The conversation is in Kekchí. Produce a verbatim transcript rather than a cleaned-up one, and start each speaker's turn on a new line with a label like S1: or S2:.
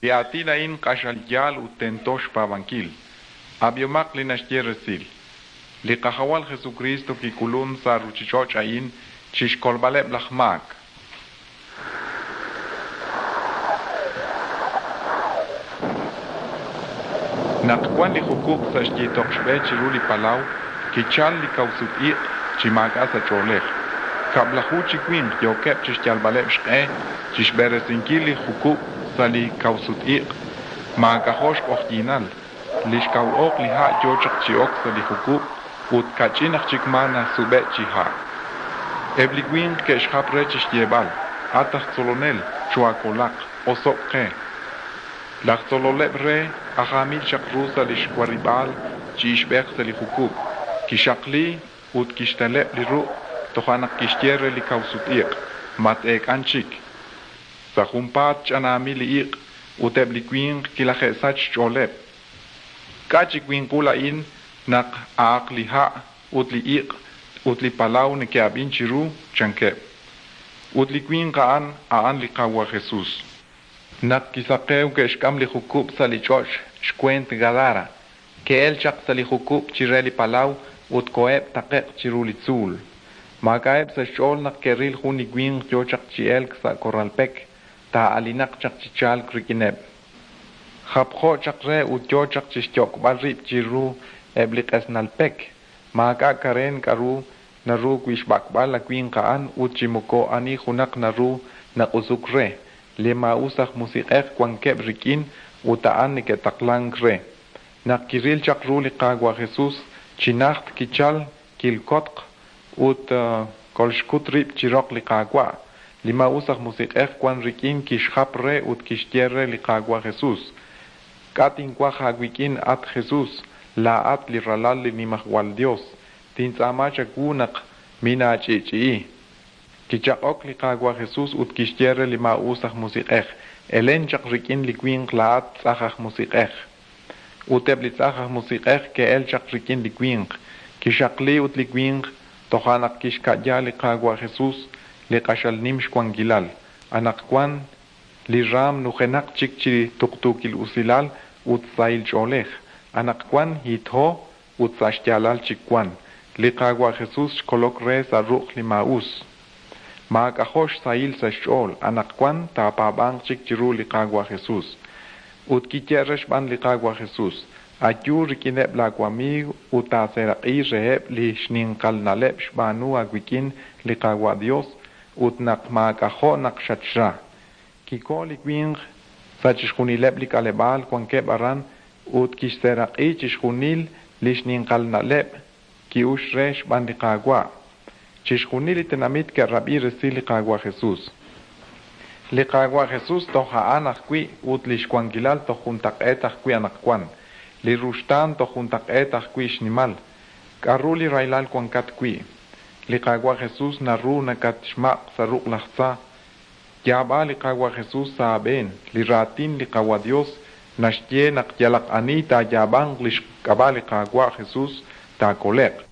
S1: Li aatin a'in q'axal yaal ut tento xpaab'ankil. Ab'ihomaq li naxye resil. Li Qajawal Jesukriist kik'ulunk sa' ruuchich'och' a'in chi xkolb'aleb' laj maak. Naq wank li jukub' sa' xyiitoq xb'e chiru li palaw, kichalk li kawsut-iq' chi maak'a' sa' ch'oolej. Kab'laju chi winq yookeb' chi xyalb'aleb' xq'e chi xb'eresinkil li jukub' sa' li kawsut-iq'. Maak'ajo' xq'oqyinal, li xkaw oq li ha' yo chaq chi ok sa' li jukub' ut kach'in aj chik maa nasub'e'k chi ha'. Eb' li winq ke'xjap re chi xyeeb'al: At aj Tzolonel, choohaakolaq, oso'k qe! Laj tzololeb' re aj aamil chaq ru sa' li xwarib'aal chi ixb'ej sa' li jukub', kixaqli ut kixteleb' li ruq', toja' naq kixye re li kawsut-iq': Mat-eek'an chik. Sa' junpaat ch'anaamil li iq' ut eb' li winq kilaje'sachk xch'ooleb'. K'a' chi winqul a'in naq a'aq li ha' ut li iq' ut li palaw neke'ab'in chiru? Chankeb'. Ut li winq a'an, a'an li Qaawa' Jesus. Naq kisaqewk, ke'xk'am li jukub' sa' li ch'och' xweent Gadara. Ke'elk chaq sa' li jukub' chire li palaw ut koheb' taqe'q chiru li tzuul. Maak'a'eb' sa' xch'ool naq ke'ril jun li winq yo chaq chi elk sa' korral pek, taa'alinaq chaq chi chalk rik'ineb'. Japjo chaq re ut yo chaq chi xyok'b'al rib' chiru eb' li q'esnal pek. Maak'a' kareen k'aru naru wi' xb'ak'b'al a winq a'an ut chi moko ani junaq naru naq'usuk re, li maa'us aj musiq'ej wankeb' rik'in ut a'an neke'taqlank re. Naq kiril chaq ru li Qaawa' Jesus, chi najt kichalk, kilkotq ut kolxkut rib' chi roq li Qaawa'. Li maa'us aj musiq'ej wank rik'in kixjap re ut kixye re li Qaawa' Jesus: K'a' tinwaj aawik'in, at Jesus, laa'at li Ralal li Nimajwal Yos? Tintz'aama chawu naq minaach'i'ch'i'i. Kichaq'ok li Qaawa' Jesus ut kixye re li maa'us aj musiq'ej: Elen chaq rik'in li winq laa'at tz'ajn aj musiq'ej. Ut eb' li tz'ajn aj musiq'ej ke'elk chaq rik'in li winq. Kixaqli ut li winq, toja' naq kixka'ya li Qaawa' Jesus, li q'axal nim xwankilal. Anaqwan li raanm nujenaq chik chi tuqtuukil usilal ut sahil ch'oolej. Anaqwan hitho ut sa' xyaalal chik wank. Li Qaawa' Jesus xkolok re sa' ruq' li maa'us. Maak'ajo' xsahil sa' xch'ool, anaqwan taapaab'anq chik chiru li Qaawa' Jesus. Ut kiyehe' re xb'aan li Qaawa' Jesus: Ayu rik'ineb' laawamiiw ut taaseeraq'i reheb' li xninqal na'leb' xb'aanu aawik'in li Qaawa' Yos ut naq maak'ajo' naq xatxra. Kikoho li winq sa' chixjunileb' li k'aleb'aal wankeb' aran ut kixseeraq'i chixjunil li xninqal na'leb' ki'uxk re xb'aan li Qaawa'. Chixjunil li tenamit ke'rab'i resil li Qaawa' Jesus. Li Qaawa' Jesus toj a'an ajwi' ut li xwankilal toj juntaq'eet ajwi' anaqwan. Li ruxtaan toj juntaq'eet ajwi' xnimal. K'aru li rahilal wankat wi'? Li Qaawa' Jesus naru nakatxmaq' sa' ruq' laj tza. Yaab'a li Qaawa' Jesus sa' aab'een. Li raatin li Qaawa' Yos naxye naq yalaq ani taayaab'anq li xk'ab'a' li Qaawa' Jesus taakole'q.